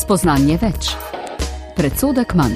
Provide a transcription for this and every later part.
Spoznanje več. Predsodek manj.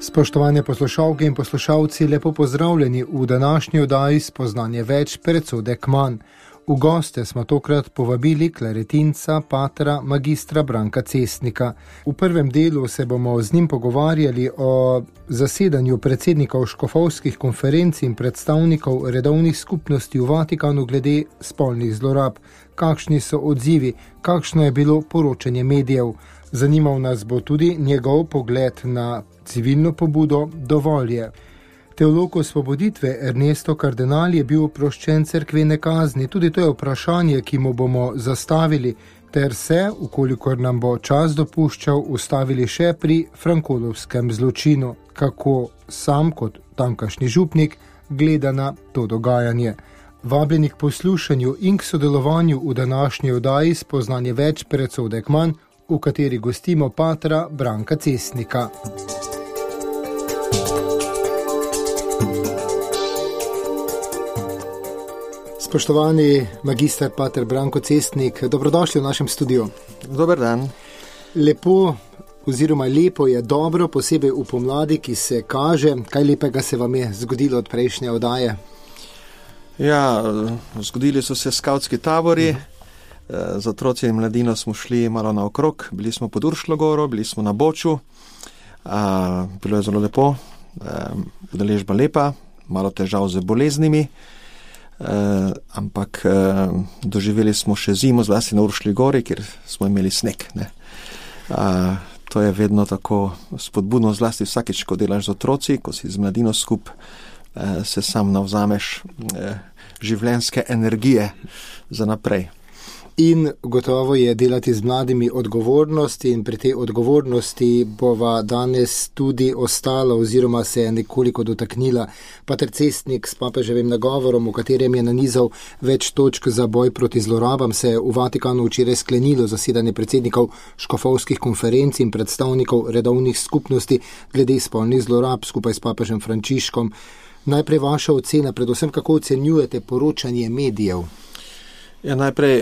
Spoštovane poslušalke in poslušalci, lepo pozdravljeni v današnji oddaji Spoznanje več, predsodek manj. V goste smo tokrat povabili klaretinca, patra, magistra Branka Cestnika. V prvem delu se bomo z njim pogovarjali o zasedanju predsednikov škofovskih konferenc in predstavnikov redovnih skupnosti v Vatikanu glede spolnih zlorab. Kakšni so odzivi, kakšno je bilo poročanje medijev. Zanimal nas bo tudi njegov pogled na civilno pobudo Dovolj je. Teolog osvoboditve Ernesto Kardenal je bil oproščen cerkvene kazni. Tudi to je vprašanje, ki mu bomo zastavili, ter se, ukolikor nam bo čas dopuščal, ustavili še pri frankolovskem zločinu, kako sam kot tamkajšnji župnik gleda na to dogajanje. Vabljeni k poslušanju in k sodelovanju v današnji oddaji Spoznanje več, predsodek manj, v kateri gostimo patra Branka Cestnika. Spoštovani magister pater Branko Cestnik, dobrodošli v našem studiu. Dober dan. Lepo je dobro, posebej v pomladi, ki se kaže. Kaj lepega se vam je zgodilo od prejšnje oddaje? Ja, zgodili so se skavtski tabori. Z otroci in mladino smo šli malo naokrog. Bili smo pod Uršljo goro, bili smo na Boču. Bilo je zelo lepo, udeležba lepa, malo težav z boleznimi. Ampak doživeli smo še zimo, zlasti na Uršlji gori, kjer smo imeli sneg. To je vedno tako spodbudno, zlasti vsakič, ko delaš z otroci, ko si z mladino skup, se sam navzameš življenjske energije za naprej. In gotovo je delati z mladimi odgovornosti in pri tej odgovornosti bova danes tudi ostala oziroma se je nekoliko dotaknila pater Cestnik s papeževim nagovorom, v katerem je nanizal več točk za boj proti zlorabam. Se je v Vatikanu včeraj sklenilo zasedanje predsednikov škofovskih konferenc in predstavnikov redovnih skupnosti glede spolnih zlorab skupaj s papežem Frančiškom. Najprej vaša ocena, predvsem kako ocenjujete poročanje medijev? Ja, najprej,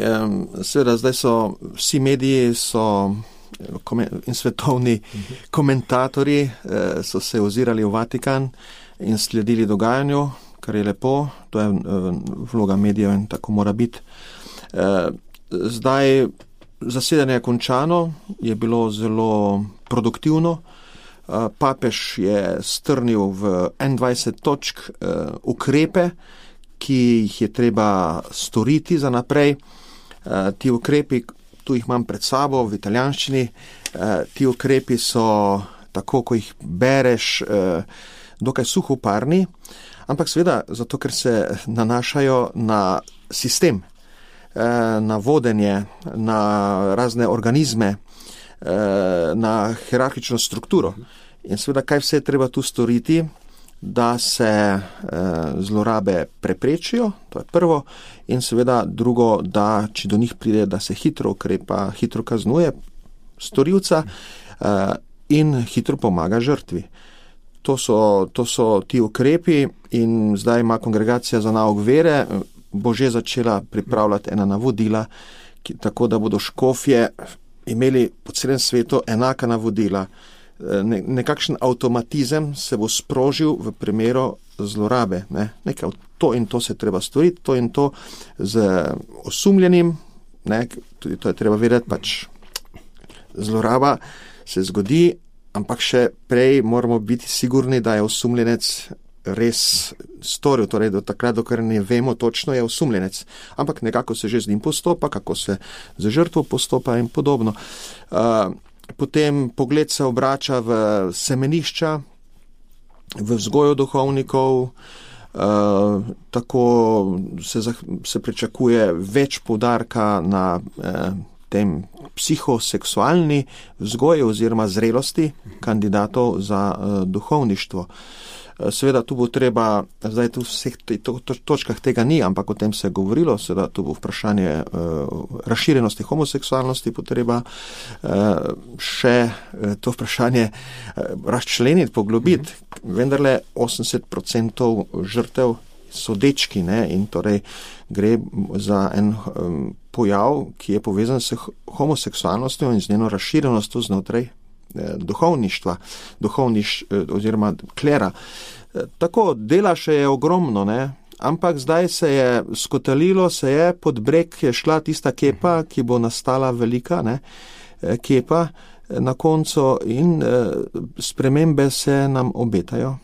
seveda, zdaj so vsi mediji in svetovni komentatorji so se ozirali v Vatikan in sledili dogajanju, kar je lepo, to je vloga medijev in tako mora biti. Zdaj, zasedanje je končano, je bilo zelo produktivno. Papež je strnil v 21 točk ukrepe, ki jih je treba storiti za naprej. Ti ukrepi, tu jih imam pred sabo v italijanščini, ti ukrepi so, tako ko jih bereš, dokaj suhoparni, ampak seveda zato, ker se nanašajo na sistem, na vodenje, na razne organizme, na hierarhično strukturo. In seveda, kaj vse je treba tu storiti, da se zlorabe preprečijo, to je prvo, in seveda drugo, da če do njih pride, da se hitro ukrepa, hitro kaznuje storilca in hitro pomaga žrtvi. To so ti ukrepi in zdaj ima kongregacija za nauk vere, bo že začela pripravljati ena navodila, tako da bodo škofje imeli po celem svetu enaka navodila. Nekakšen avtomatizem se bo sprožil v primeru zlorabe. Nekaj to in to se treba storiti, to in to z osumljenim, tudi to je treba vedeti, pač zloraba se zgodi, ampak še prej moramo biti sigurni, da je osumljenec res storil, torej do takrat, dokler ne vemo točno, je osumljenec. Ampak nekako se že z njim postopa, kako se z žrtvo postopa in podobno. Potem pogled se obrača v semenišča, v vzgojo duhovnikov, tako se pričakuje več poudarka na tem psihoseksualni vzgoji oziroma zrelosti kandidatov za duhovništvo. Seveda tu bo treba, zdaj tu v vseh točkah tega ni, ampak o tem se je govorilo, seveda tu bo vprašanje razširjenosti homoseksualnosti potreba še to vprašanje razčleniti, poglobiti. Vendarle 80% žrtev so dečki, ne, in torej gre za en pojav, ki je povezan s homoseksualnostjo in z njeno razširjenostjo znotraj duhovništva, oziroma klera. Tako, dela še je ogromno, ne, ampak zdaj se je skotalilo, pod breg je šla tista kepa, ki bo nastala velika, ne, kepa na koncu in spremembe se nam obetajo.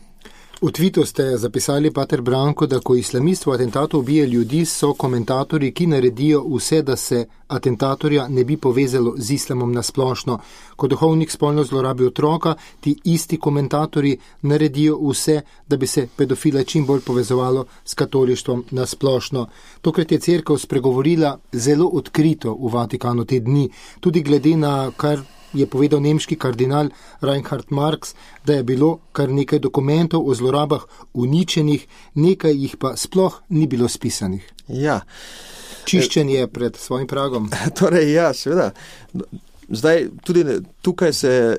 V tvitu ste zapisali, pater Branko, da ko islamist v atentatu ubije ljudi, so komentatorji, ki naredijo vse, da se atentatorja ne bi povezalo z islamom nasplošno. Ko duhovnik spolno zlorabi otroka, ti isti komentatorji naredijo vse, da bi se pedofila čim bolj povezovalo s katolištvom nasplošno. Tokrat je cerkev spregovorila zelo odkrito v Vatikanu te dni, tudi glede na kar je povedal nemški kardinal Reinhard Marx, da je bilo kar nekaj dokumentov o zlorabah uničenih, nekaj jih pa sploh ni bilo spisanih. Ja. Čiščenje pred svojim pragom. Torej, ja, seveda. Zdaj, tudi tukaj se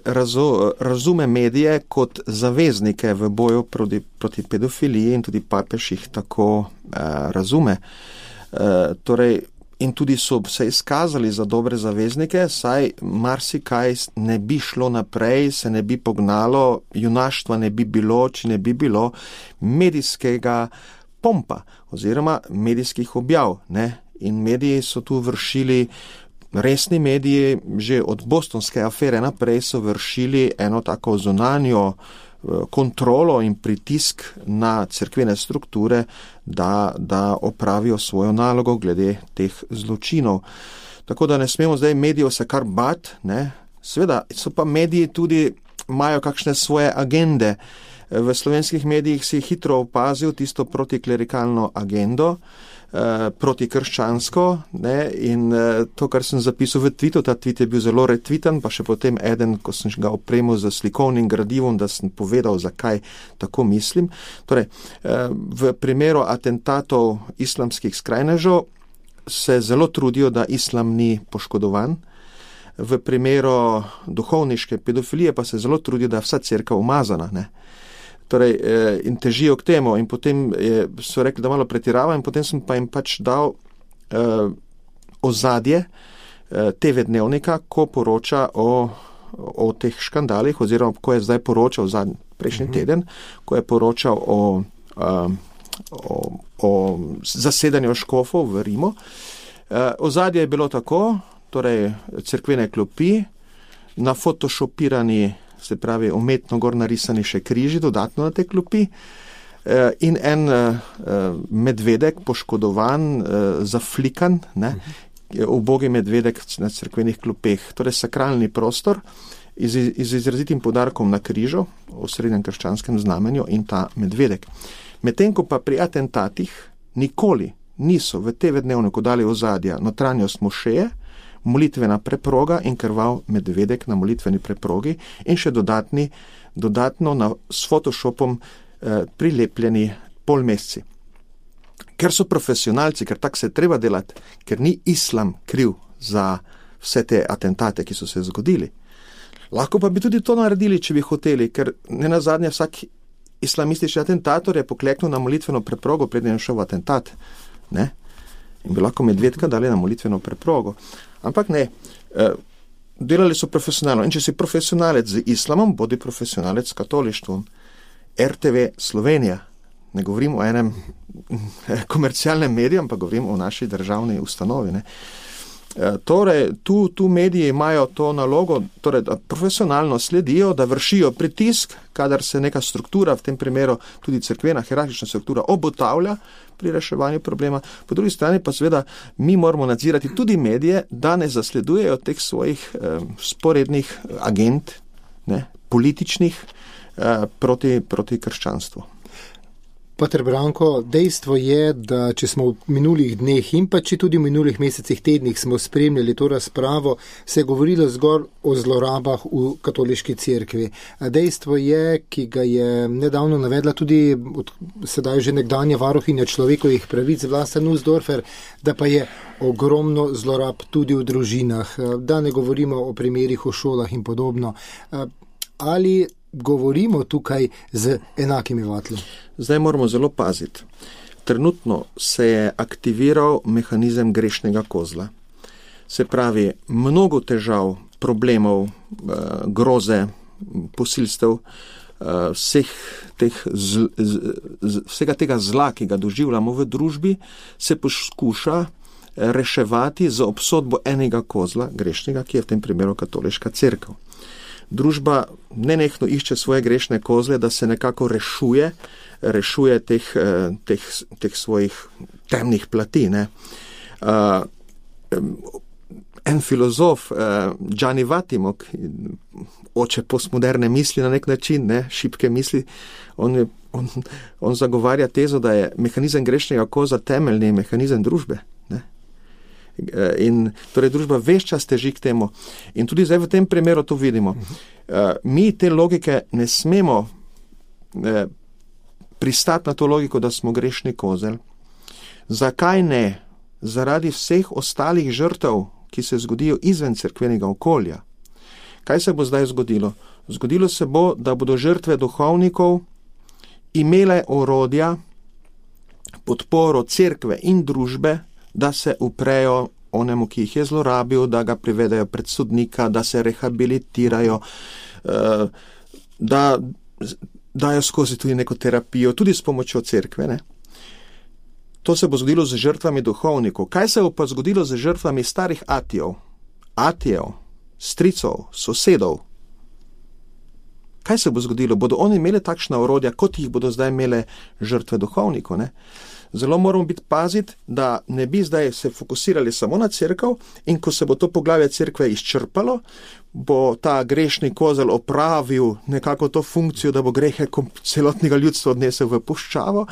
razume medije kot zaveznike v boju proti pedofiliji in tudi papež jih tako razume. Torej, in tudi so se izkazali za dobre zaveznike, saj marsikaj ne bi šlo naprej, se ne bi pognalo, junaštva ne bi bilo, če ne bi bilo medijskega pompa oziroma medijskih objav, ne? In mediji so tu vršili, resni mediji, že od bostonske afere naprej so vršili eno tako zunanjo kontrolo in pritisk na cerkvene strukture, da opravijo svojo nalogo glede teh zločinov. Tako da ne smemo zdaj medijev se kar bat, ne. Seveda so pa mediji tudi, imajo kakšne svoje agende. V slovenskih medijih si hitro opazil tisto protiklerikalno agendo, protikrščansko, ne, in to, kar sem zapisal v twitu, ta tweet je bil zelo retweetan, pa še potem eden, ko sem ga opremil z slikovnim gradivom, da sem povedal, zakaj tako mislim. Torej, v primeru atentatov islamskih skrajnežev se zelo trudijo, da islam ni poškodovan. V primeru duhovniške pedofilije pa se zelo trudijo, da je vsa cerkev umazana, ne. Torej, in težijo k temu, in potem so rekli, da malo pretirava, in potem sem pa jim pač dal ozadje TV Dnevnika, ko poroča o teh škandalih, oziroma ko je zdaj poročal prejšnji teden, ko je poročal o zasedanju škofov v Rimu. Ozadje je bilo tako, torej cerkvene klopi, na photoshopirani, se pravi umetno gor narisani še križi dodatno na te klopi, in en medvedek poškodovan, zaflikan, ne, ubogi medvedek na cerkvenih klopeh, torej sakralni prostor z izrazitim poudarkom na križu v srednjem krščanskem znamenju in ta medvedek. Medtem ko pa pri atentatih nikoli niso v TV Dnevniku dali ozadja notranjost mošeje, molitvena preproga in krvav medvedek na molitveni preprogi in še dodatno s Photoshopom prilepljeni polmesci. Ker so profesionalci, ker tak se treba delati, ker ni islam kriv za vse te atentate, ki so se zgodili. Lahko pa bi tudi to naredili, če bi hoteli, ker nenazadnje vsak islamistični atentator je pokleknil na molitveno preprogo, preden je šel v atentat, ne? In bi lahko medvedka dali na molitveno preprogo. Ampak ne, delali so profesionalno. In če si profesionalec z islamom, bodi profesionalec s katolištvom. RTV Slovenija, ne govorim o enem komercialnem mediju, ampak govorim o naši državni ustanovi, ne. Torej, tu mediji imajo to nalogo, torej, da profesionalno sledijo, da vršijo pritisk, kadar se neka struktura, v tem primeru tudi cerkvena hierarhična struktura, obotavlja pri reševanju problema. Po drugi strani pa seveda mi moramo nadzirati tudi medije, da ne zasledujejo teh svojih sporednih agent, ne, političnih proti krščanstvu. Pater Branko, dejstvo je, da če smo v minulih dneh in pa če tudi v minulih mesecih, tednih smo spremljali to razpravo, se je govorilo zgolj o zlorabah v katoliški cerkvi. Dejstvo je, ki ga je nedavno navedla tudi sedaj že nekdanja varuhinja človekovih pravic Vlasta Nussdorfer, da pa je ogromno zlorab tudi v družinah, da ne govorimo o primerih v šolah in podobno. Ali govorimo tukaj z enakimi vatli? Zdaj moramo zelo paziti. trenutno se je aktiviral mehanizem grešnega kozla. Se pravi, mnogo težav, problemov, groze, posilstev, vsega tega zla, ki ga doživljamo v družbi, se poskuša reševati za obsodbo enega kozla, grešnega, ki je v tem primeru katoliška cerkev. Družba nenehno išče svoje grešne kozle, da se nekako rešuje teh svojih temnih plati. Ne? En filozof, Gianni Vattimo, oče postmoderne misli na nek način, ne, šibke misli, on zagovarja tezo, da je mehanizem grešnega kozla temeljni mehanizem družbe. Ne. In torej družba ves čas teži k temu. In tudi zdaj v tem primeru to vidimo. Mi te logike ne smemo pristati na to logiko, da smo grešni kozel. Zakaj ne? Zaradi vseh ostalih žrtev, ki se zgodijo izven cerkvenega okolja. Kaj se bo zdaj zgodilo? Zgodilo se bo, da bodo žrtve duhovnikov imele orodja, podporo cerkve in družbe, da se uprejo onemu, ki jih je zlorabil, da ga privedejo pred sodnika, da se rehabilitirajo, da dajo skozi tudi neko terapijo, tudi s pomočjo cerkve. Ne? To se bo zgodilo z žrtvami duhovnikov. Kaj se bo pa zgodilo z žrtvami starih atijev, stricov, sosedov? Kaj se bo zgodilo? Bodo oni imeli takšna orodja, kot jih bodo zdaj imele žrtve duhovnikov? Ne? Zelo moramo biti paziti, da ne bi zdaj se fokusirali samo na cerkev in ko se bo to poglavje cerkve izčrpalo, bo ta grešni kozel opravil nekako to funkcijo, da bo grehe celotnega ljudstva odnesel v puščavo,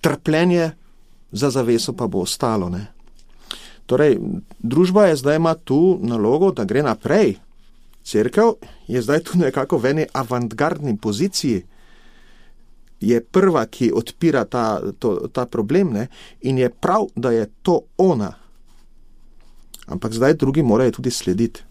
trpljenje za zaveso pa bo ostalo. Ne? Torej, družba je zdaj ima tu nalogo, da gre naprej. Cerkev je zdaj tu nekako v eni avantgardni poziciji. Je prva, ki odpira ta problem, ne? In je prav, da je to ona. Ampak zdaj drugi morajo tudi slediti.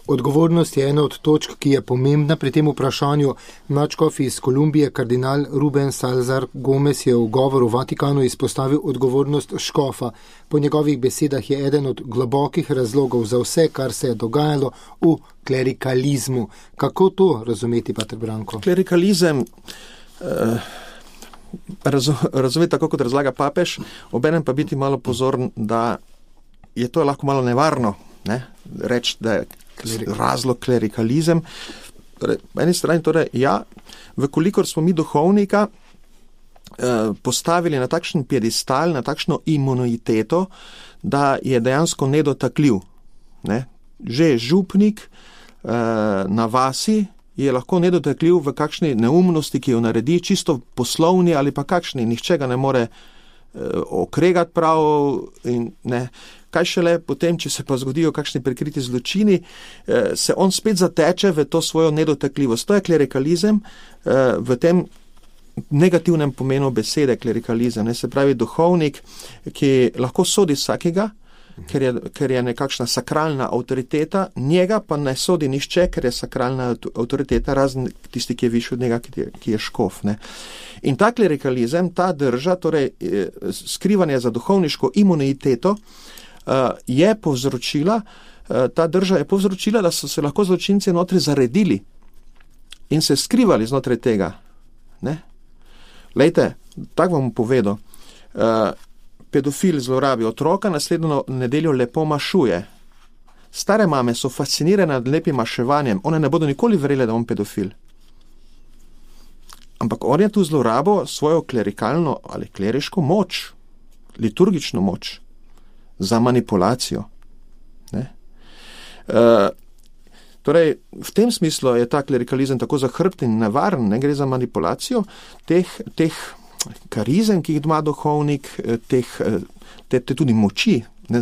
Odgovornost je ena od točk, ki je pomembna pri tem vprašanju. Nadškof iz Kolumbije, kardinal Ruben Salazar Gomez, je v govoru v Vatikanu izpostavil odgovornost škofa. Po njegovih besedah je eden od globokih razlogov za vse, kar se je dogajalo v klerikalizmu. Kako to razumeti, pater Branko? Klerikalizem razumeti tako, kot razlaga papež, obenem pa biti malo pozorn, da je to lahko malo nevarno, ne? Reči, da je razlog klerikalizem. Torej, po eni strani, torej, ja, vkolikor smo mi duhovnika postavili na takšen piedestal, na takšno imuniteto, da je dejansko nedotakljiv. Ne? Že župnik na vasi je lahko nedotakljiv v kakšni neumnosti, ki jo naredi, čisto poslovni ali pa kakšni, nihče ga ne more okregati prav in ne. Kaj šele potem, če se pa zgodijo kakšni prikriti zločini, se on spet zateče v to svojo nedotakljivost. To je klerikalizem v tem negativnem pomenu besede klerikalizem. Ne? Se pravi duhovnik, ki lahko sodi vsakega, ker je nekakšna sakralna avtoriteta, njega pa ne sodi nišče, ker je sakralna avtoriteta, razen tisti, ki je višji od njega, ki je škof. Ne? In ta klerikalizem, ta drža, torej skrivanje za duhovniško imuniteto, je povzročila, ta drža je povzročila, da so se lahko zločinci notri zaredili in se skrivali znotraj tega. Ne? Lejte, tako vam povedal, pedofil zlorabi otroka, naslednjo nedeljo lepo mašuje. Stare mame so fascinirane nad lepim maševanjem, one ne bodo nikoli verjele, da on pedofil. Ampak on je tu zlorabo svojo klerikalno ali kleriško moč, liturgično moč, za manipulacijo. Ne? Torej, v tem smislu je ta klerikalizem tako zahrbten in nevaren, ne gre za manipulacijo teh karizem, ki jih ima duhovnik, te tudi moči. Ne,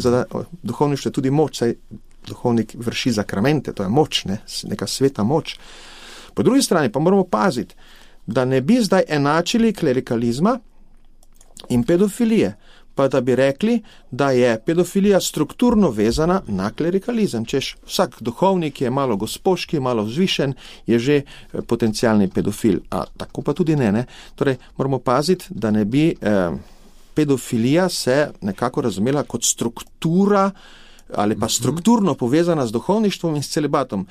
duhovništvo je tudi moč, saj duhovnik vrši zakramente, to je moč, ne, neka sveta moč. Po drugi strani pa moramo paziti, da ne bi zdaj enačili klerikalizma in pedofilije. pa da bi rekli, da je pedofilija strukturno vezana na klerikalizem. Češ, vsak duhovnik je malo gospoški, malo vzvišen, je že potencialni pedofil. A tako pa tudi ne. Torej, moramo paziti, da ne bi pedofilija se nekako razumela kot struktura ali pa strukturno povezana z duhovništvom in s celibatom.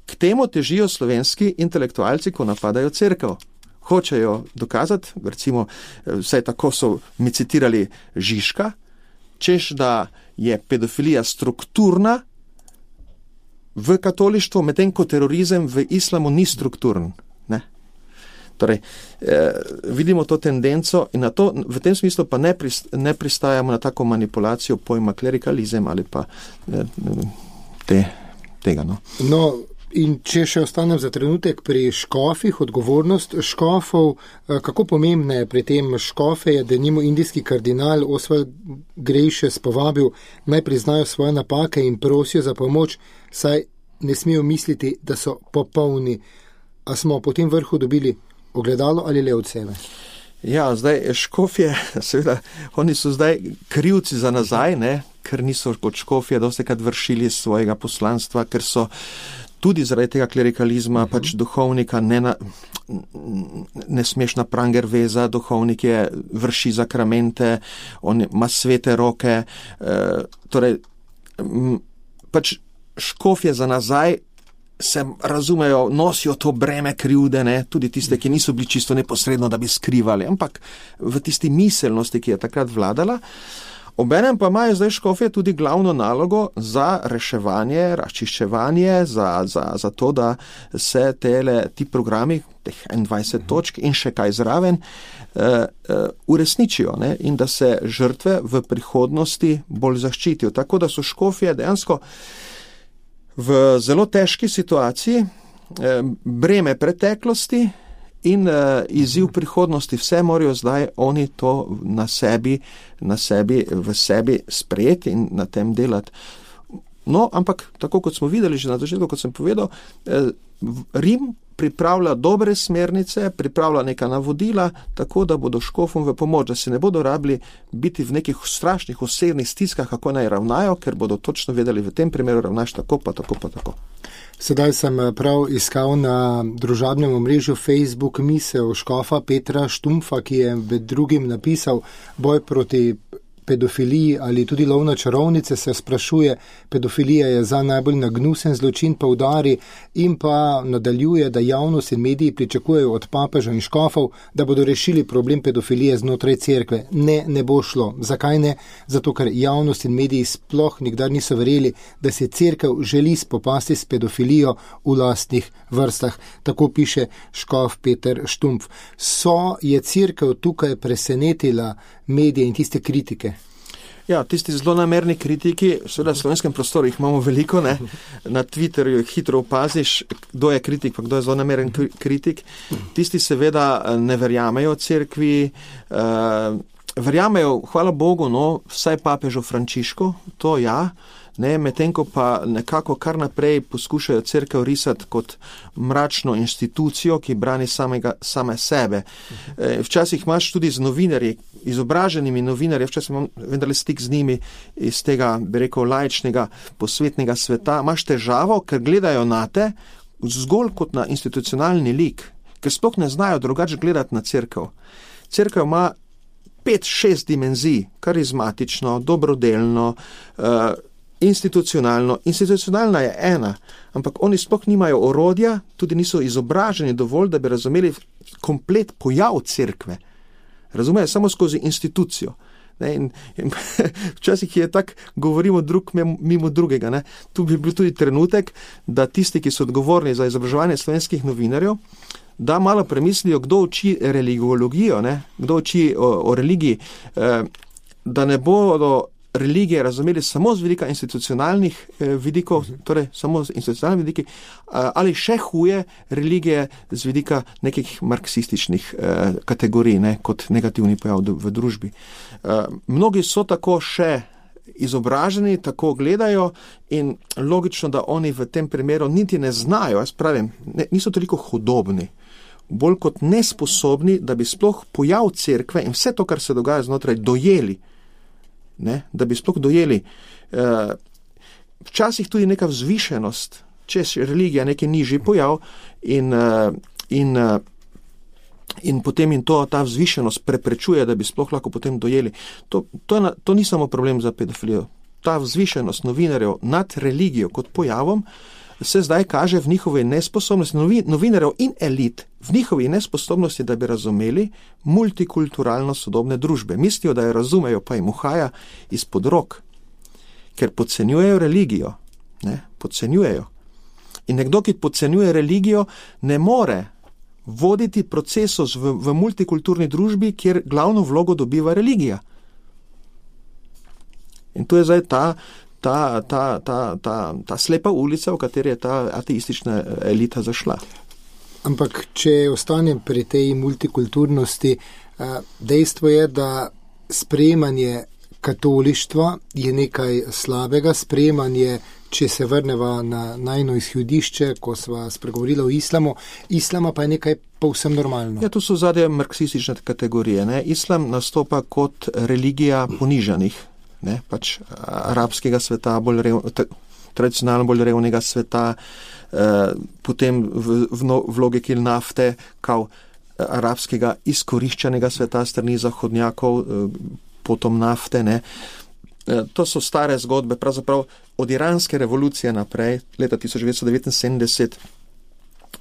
K temu težijo slovenski intelektualci, ko napadajo cerkev. Hočejo dokazati, recimo, vsaj tako so mi citirali Žižka, češ, da je pedofilija strukturna v katolištvu, medtem ko terorizem v islamu ni strukturen. Ne? Torej, vidimo to tendenco in na to, v tem smislu pa ne pristajamo na tako manipulacijo pojma klerikalizem ali pa tega. No, in če še ostanem za trenutek pri škofih, odgovornost škofov, kako pomembna je pri tem škofe, je denimo indijski kardinal Oswald Gracious povabil, naj priznajo svoje napake in prosijo za pomoč, saj ne smejo misliti, da so popolni. A smo po tem vrhu dobili ogledalo ali le od sebe? Ja, zdaj škofje, seveda, oni so zdaj krivci za nazaj, ker niso kot škofje dostikrat vršili svojega poslanstva, ker so tudi zaradi tega klerikalizma pač duhovnika ne smeš na pranger veza, duhovnik je vrši zakramente, on ima svete roke, torej pač škofje za nazaj se razumejo, nosijo to breme krivde, tudi tiste, ki niso bili čisto neposredno, da bi skrivali, ampak v tisti miselnosti, ki je takrat vladala. Obenem pa imajo zdaj škofje tudi glavno nalogo za reševanje, razčiščevanje, za to, da se ti programi, teh 21 točk in še kaj zraven, uresničijo in da se žrtve v prihodnosti bolj zaščitijo. Tako da so škofje dejansko v zelo težki situaciji, breme preteklosti in izziv prihodnosti. Vse morajo zdaj oni to v sebi sprejeti in na tem delati. No, ampak tako kot smo videli že na začetku, kot sem povedal, Rim pripravlja dobre smernice, pripravlja neka navodila, tako da bodo škofom v pomoč, da se ne bodo rabili biti v nekih strašnih osebnih stiskah, kako naj ravnajo, ker bodo točno vedeli, v tem primeru ravnaš tako, pa tako, pa tako. Sedaj sem prav iskal na družabnem omrežju Facebook misel škofa Petra Štumpfa, ki je med drugim napisal boj proti pedofiliji ali tudi lov na čarovnice, se sprašuje, pedofilija je za najbolj nagnusen zločin, poudari in pa nadaljuje, da javnost in mediji pričakujejo od papeža in škofov, da bodo rešili problem pedofilije znotraj cerkve. Ne bo šlo. Zakaj ne? Zato, ker javnost in mediji sploh nikdar niso verjeli, da se cerkev želi spopasti s pedofilijo v lastnih vrstah. Tako piše škof Peter Štumpf. Je cerkev tukaj presenetila medije in tiste kritike? Ja, tisti zlonamerni kritiki, seveda v slovenskem prostoru jih imamo veliko, na Twitterju jih hitro opaziš, kdo je kritik, pa kdo je zlonameren kritik. Tisti seveda ne verjamejo cerkvi, verjamejo, hvala Bogu, vsaj papežu Frančišku, to ja, medtem ko pa nekako kar naprej poskušajo cerkev risati kot mračno institucijo, ki brani same sebe. Včasih imaš tudi z novinarji, izobraženimi novinarji, včasih imam vendarle stik z njimi iz tega, bi rekel, laičnega, posvetnega sveta, imaš težavo, ker gledajo nate zgolj kot na institucionalni lik, ker sploh ne znajo drugače gledati na cerkev. Cerkev ima 5-6 dimenzij, karizmatično, dobrodelno, institucionalno. Institucionalna je ena, ampak oni sploh nimajo orodja, tudi niso izobraženi dovolj, da bi razumeli komplet pojav cerkve. Razumejo samo skozi institucijo. In včasih je tak, govorimo drug mimo drugega. Tu bi bil tudi trenutek, da tisti, ki so odgovorni za izobraževanje slovenskih novinarjev, da malo premislijo, kdo uči religiologijo, kdo uči o religiji, da ne bodo religije razumeli samo z vidika institucionalnih vidikov, torej samo z institucionalnih vidiki, ali še huje religije z vidika nekih marksističnih kategorij, kot negativni pojav v družbi. Mnogi so tako še izobraženi, tako gledajo in logično, da oni v tem primeru niti ne znajo, jaz pravim, niso toliko hudobni, bolj kot nesposobni, da bi sploh pojav cerkve in vse to, kar se dogaja znotraj, dojeli. ne, da bi sploh dojeli. Včasih tudi neka vzvišenost, če je religija neki nižji pojav in potem ta vzvišenost preprečuje, da bi sploh lahko potem dojeli. To ni samo problem za pedofilijo. Ta vzvišenost novinarjev nad religijo kot pojavom se zdaj kaže v njihovi nesposobnosti, novinarjev in elit, v njihovi nesposobnosti, da bi razumeli multikulturalno sodobne družbe. Mislijo, da jo razumejo, pa jim uhaja izpod rok, ker podcenjujejo religijo. Ne? Podcenjujejo. In nekdo, ki podcenjuje religijo, ne more voditi procesov v multikulturni družbi, kjer glavno vlogo dobiva religija. In to je zdaj ta slepa ulica, v kateri je ta ateistična elita zašla. Ampak, če ostanem pri tej multikulturnosti, dejstvo je, da sprejemanje katolištva je nekaj slabega, sprejemanje, če se vrneva na najno izhodišče, ko sva spregovorila o islama pa je nekaj povsem normalno. Ja, to so zadnje marksistične kategorije. Ne? Islam nastopa kot religija ponižanih, ne? Pač arabskega sveta, tradicionalno bolj revnega sveta, potem v logiki nafte, kao arabskega izkoriščenega sveta strani zahodnjakov, potom nafte, ne. To so stare zgodbe, pravzaprav od iranske revolucije naprej, leta 1979,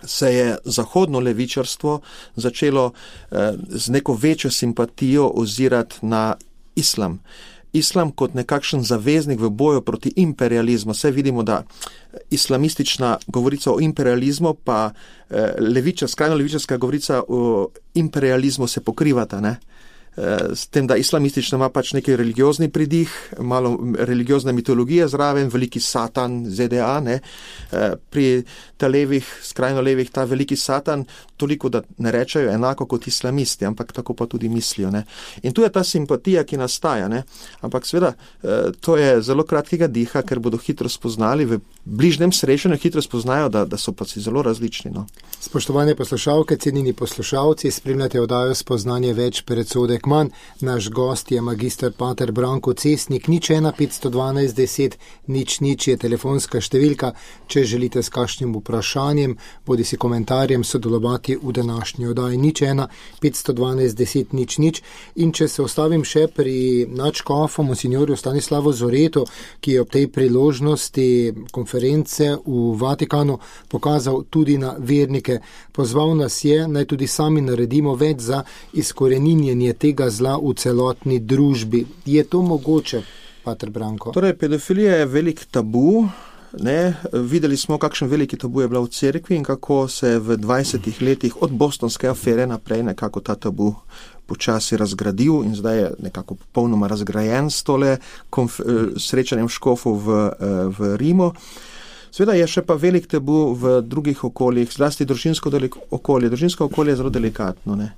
se je zahodno levičarstvo začelo z neko večjo simpatijo ozirati na islam. Islam kot nekakšen zaveznik v boju proti imperializmu. Vse vidimo, da islamistična govorica o imperializmu pa skrajno levičarska govorica o imperializmu se pokrivata, ne? S tem, da islamistično ima pač neki religiozni pridih, malo religiozne mitologije zraven, veliki satan, ZDA, ne? Pri levih, skrajno levih, ta veliki satan, toliko, da ne rečejo enako kot islamisti, ampak tako pa tudi mislijo, ne? In tu je ta simpatija, ki nastaja, ne? Ampak seveda, to je zelo kratkega diha, ker bodo hitro spoznali, v bližnjem srečanju hitro spoznajo, da so pa si zelo različni, no. Spoštovane poslušalke, cenjeni poslušalci, spremljate oddajo Spoznanje več, predsodek manj. Naš gost je magister pater Branko Cestnik. 01512 10 00 je telefonska številka, če želite s kakšnim vprašanjem, bodisi komentarjem sodelovati v današnji oddaji. 01512 10 00. In če se ostavim še pri nadškofu monsinjorju Stanislavu Zoretu, ki je ob tej priložnosti konference v Vatikanu pokazal tudi na vernike. Pozval nas je, naj tudi sami naredimo več za izkoreninjenje tega zla v celotni družbi. Je to mogoče, pater Branko? Torej, pedofilija je velik tabu, ne? Videli smo, kakšen veliki tabu je bila v cerkvi in kako se v 20 letih od bostonske afere naprej nekako ta tabu počasi razgradil in zdaj je nekako popolnoma razgrajen s tole srečanjem škofov v Rimu. Sveda je še pa velik tabu v drugih okoljih, zlasti družinsko okolje. Družinsko okolje je zelo delikatno, ne?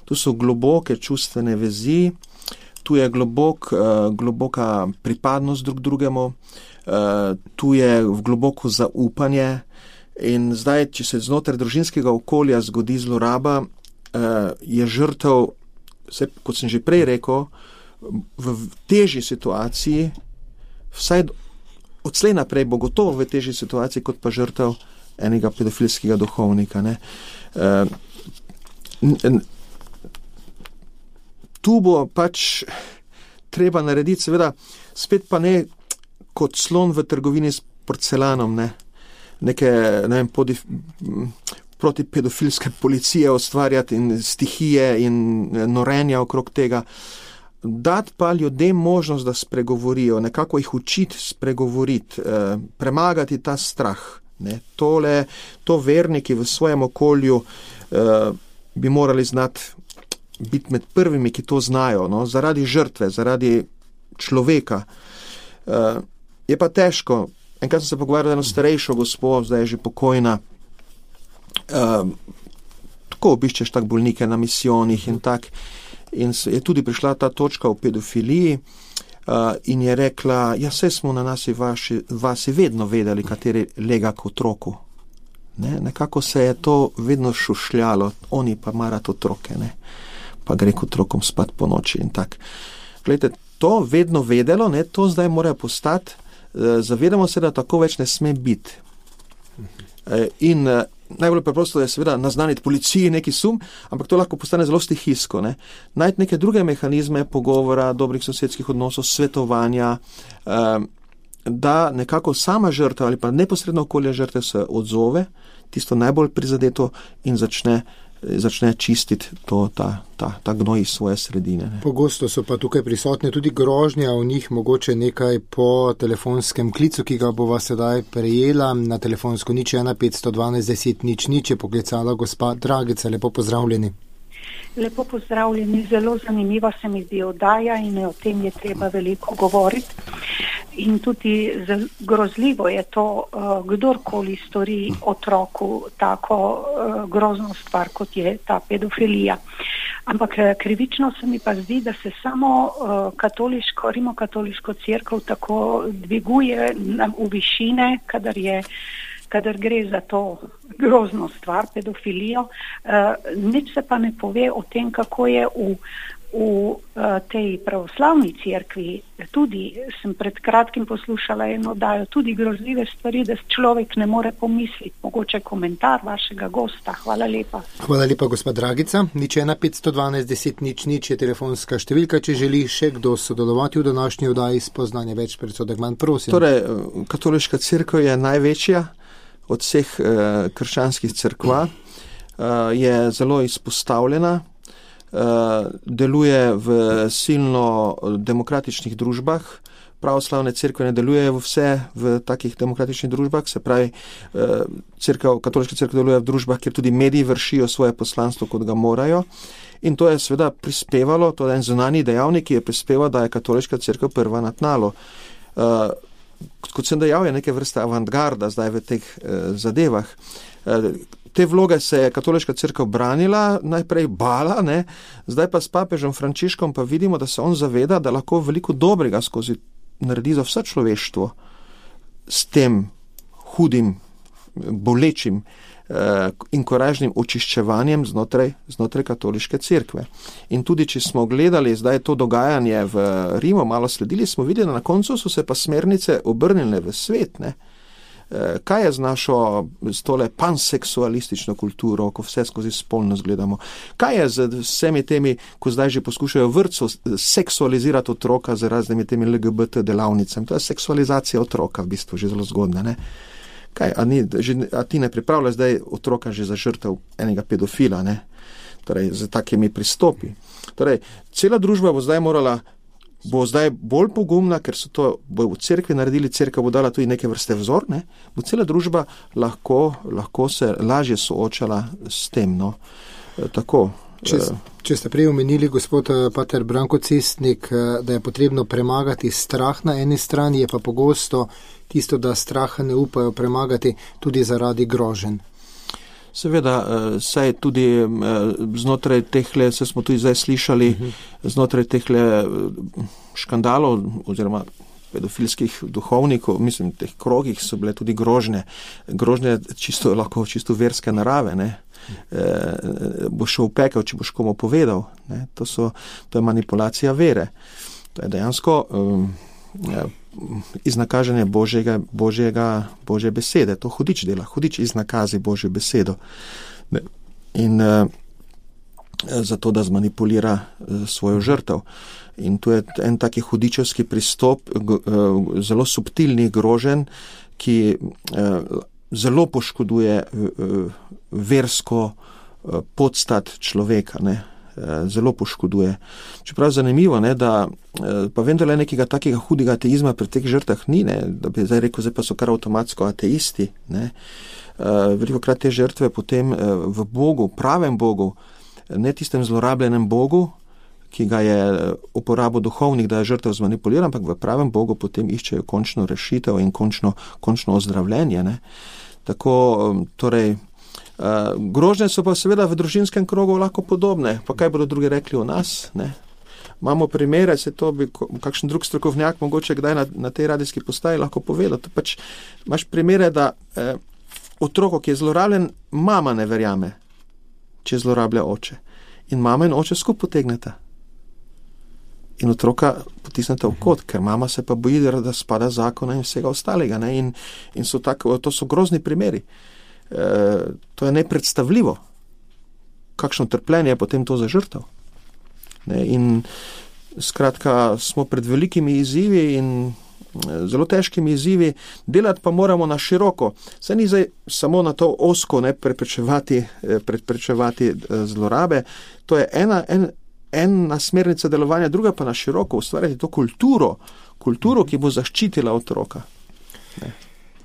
Tu so globoke čustvene vezi, tu je globoka pripadnost drug drugemu, tu je globoko zaupanje in zdaj, če se znotraj družinskega okolja zgodi zloraba, je žrtev, kot sem že prej rekel, v težji situaciji, vsaj odslej naprej bo gotovo v težji situaciji, kot pa žrtev enega pedofilskega duhovnika, ne. Tu bo pač treba narediti, seveda, spet pa ne kot slon v trgovini s porcelanom, ne. Neke, ne vem, protipedofilske policije ustvarjati in stihije in norenja okrog tega. Dati pa ljudem možnost, da spregovorijo, nekako jih učiti spregovoriti, premagati ta strah, ne. To verniki v svojem okolju bi morali znati biti med prvimi, ki to znajo, no, zaradi žrtve, zaradi človeka. Je pa težko. Enkrat sem se pogovarjal eno starejšo gospo, zdaj je že pokojna, tako obiščeš tak bolnike na misijonih in tak, in je tudi prišla ta točka o pedofiliji in je rekla, ja, saj smo na vasi vedno vedeli, kateri lega k otroku. Ne? Nekako se je to vedno šušljalo, oni pa marati otroke, ne? Pa gre k otrokom spat po noči in tak. Glejte, to vedno vedelo, ne, to zdaj mora postati, zavedamo se, da tako več ne sme biti. In najbolj preprosto je seveda naznaniti policiji neki sum, ampak to lahko postane zelo stihijsko. Najti neke druge mehanizme pogovora, dobrih sosedskih odnosov, svetovanja, da nekako sama žrtev ali pa neposredno okolje žrtev se odzove, tisto najbolj prizadeto in začne čistiti ta gnoj iz svoje sredine. Pogosto so pa tukaj prisotne tudi grožnje, o njih mogoče nekaj po telefonskem klicu, ki ga bova sedaj prejela na telefonsko 01 512 10 00 je poklicala gospa Dragica. Lepo pozdravljeni. Lepo pozdravljeni, zelo zanimiva se mi zdi oddaja in o tem je treba veliko govoriti. In tudi grozljivo je to, kdorkoli stori otroku tako grozno stvar, kot je ta pedofilija. Ampak krivično se mi pa zdi, da se samo rimokatoliško cerkev tako dviguje v višine, kadar gre za to grozno stvar, pedofilijo. Nič se pa ne pove o tem, kako je v tej pravoslavni cerkvi. Tudi sem pred kratkim poslušala eno oddajo, tudi grozljive stvari, da človek ne more pomisliti. Mogoče komentar vašega gosta. Hvala lepa. Hvala lepa, gospod Dragica. 01 512 10 00 je telefonska številka, če želi še kdo sodelovati v današnji oddaji Spoznanje več, predsodek manj, prosim. Torej, katoliška cerkev je največja od vseh krščanskih cerkva, je zelo izpostavljena, deluje v silno demokratičnih družbah. Pravoslavne cerkve ne delujejo vse v takih demokratičnih družbah, se pravi, katoliška cerkev deluje v družbah, kjer tudi mediji vršijo svoje poslanstvo, kot ga morajo. In to je seveda prispevalo, to je en zunanji dejavnik, ki je prispeval, da je katoliška cerkev prva na tnalu. Kot sem dejal, je neke vrste avantgarda zdaj v teh zadevah. Te vloge se je katoliška cerkev branila, najprej bala, zdaj pa s papežem Frančiškom pa vidimo, da se on zaveda, da lahko veliko dobrega skozi naredi za vse človeštvo s tem hudim, bolečim in korajžnim očiščevanjem znotraj katoliške cerkve. In tudi, če smo gledali zdaj to dogajanje v Rimu, malo sledili, smo videli, da na koncu so se pa smernice obrnile v svet. Kaj je z našo tole panseksualistično kulturo, ko vse skozi spolnost gledamo? Kaj je z vsemi temi, ko zdaj že poskušajo vrtcu seksualizirati otroka z raznimi temi LGBT delavnicami? To je seksualizacija otroka v bistvu, že zelo zgodna, Kaj, a ti ne pripravljaš zdaj otroka že za žrtev enega pedofila, Torej, z takimi pristopi. Torej, cela družba bo zdaj bolj pogumna, ker so to bo v cerkvi naredili, cerkev bo dala tudi neke vrste vzor, bo cela družba lahko se lažje soočala s tem, Tako. Če ste prej omenili, gospod pater Branko Cestnik, da je potrebno premagati strah na eni strani, je pa pogosto tisto, da straha ne upajo premagati tudi zaradi groženj. Seveda, saj tudi znotraj tehle, se smo tudi zdaj slišali, znotraj tehle škandalov oziroma pedofilskih duhovnikov, mislim, teh krogih so bile tudi grožnje. Grožnje lahko čisto verske narave, Boš šel v pekel, če boš komu povedal. To je manipulacija vere. To je dejansko iznakaženje Božje besede. To hudič dela. Hudič iznakazi Božjo besedo. In zato, da zmanipulira svojo žrtev. In tu je en taki hudičevski pristop, zelo subtilnih groženj, ki zelo poškoduje versko podstat človeka, zelo poškoduje. Čeprav zanimivo, da pa vendarle nekega takega hudega ateizma pri teh žrtvah ni, da bi zdaj rekel, zdaj pa so kar avtomatsko ateisti. Velikokrat te žrtve potem v Bogu, pravem Bogu, ne tistem zlorabljenem Bogu, ki ga je uporabil duhovnik, da je žrtev zmanipuliran, ampak v pravem Bogu potem iščejo končno rešitev in končno ozdravljenje. Tako, torej, grožnje so pa seveda v družinskem krogu lahko podobne. Pa kaj bodo drugi rekli o nas? Imamo primere, se to bi kakšen drug strokovnjak mogoče kdaj na tej radijski postaji lahko povedal. Pač imaš primere, da otroko, ki je zlorabljen, mama ne verjame, če zlorablja oče. In mama in oče skupaj potegneta. In otroka potem potisnete v kot, ker mama se pa boji, da spada zakona in vsega ostalega. Ne? In to so grozni primeri. To je nepredstavljivo. Kakšno trpljenje je potem to za žrtev. Ne? In skratka, smo pred velikimi izzivi in zelo težkimi izzivi, delati pa moramo na široko. Saj ni zdaj samo na to ozko, ne, preprečevati zlorabe. To je ena smernica delovanja, druga pa na široko, ustvarjati to kulturo, ki bo zaščitila otroka. Ne.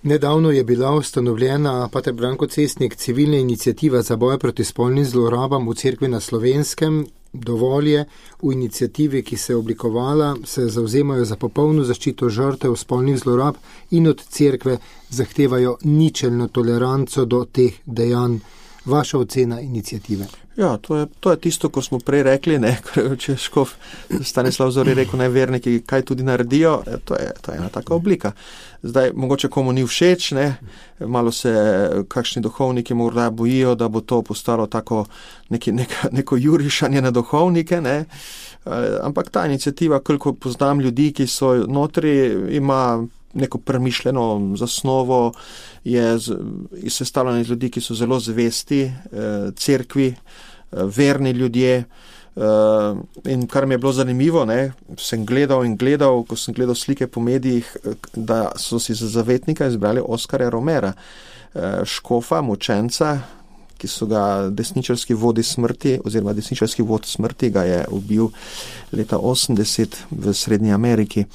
Nedavno je bila ustanovljena, pater Branko Cestnik, civilna iniciativa za boj proti spolnim zlorabam v cerkvi na Slovenskem. Dovolj je, v inicijativi, ki se je oblikovala, se zavzemajo za popolno zaščito žrtev spolnih zlorab in od cerkve zahtevajo ničelno toleranco do teh dejanj. Vaša ocena inicijative? Ja, to je tisto, ko smo prej rekli, ne, če škof Stanislav Zori rekel, naj verniki kaj tudi naredijo, to je ena taka oblika. Zdaj, mogoče komu ni všeč, ne, malo se kakšni duhovniki morda bojijo, da bo to postalo tako neko jurišanje na duhovnike, ne, ampak ta inicijativa, koliko poznam ljudi, ki so notri, ima neko premišljeno zasnovo, je sestavljena iz ljudi, ki so zelo zvesti cerkvi, verni ljudje, in kar mi je bilo zanimivo, ne, sem gledal, ko sem gledal slike po medijih, da so si za zavetnika izbrali Oskarja Romera, škofa, mučenca, ki so ga desničarski vodi smrti, oziroma desničarski vod smrti ga je ubil leta 80 v Srednji Ameriki.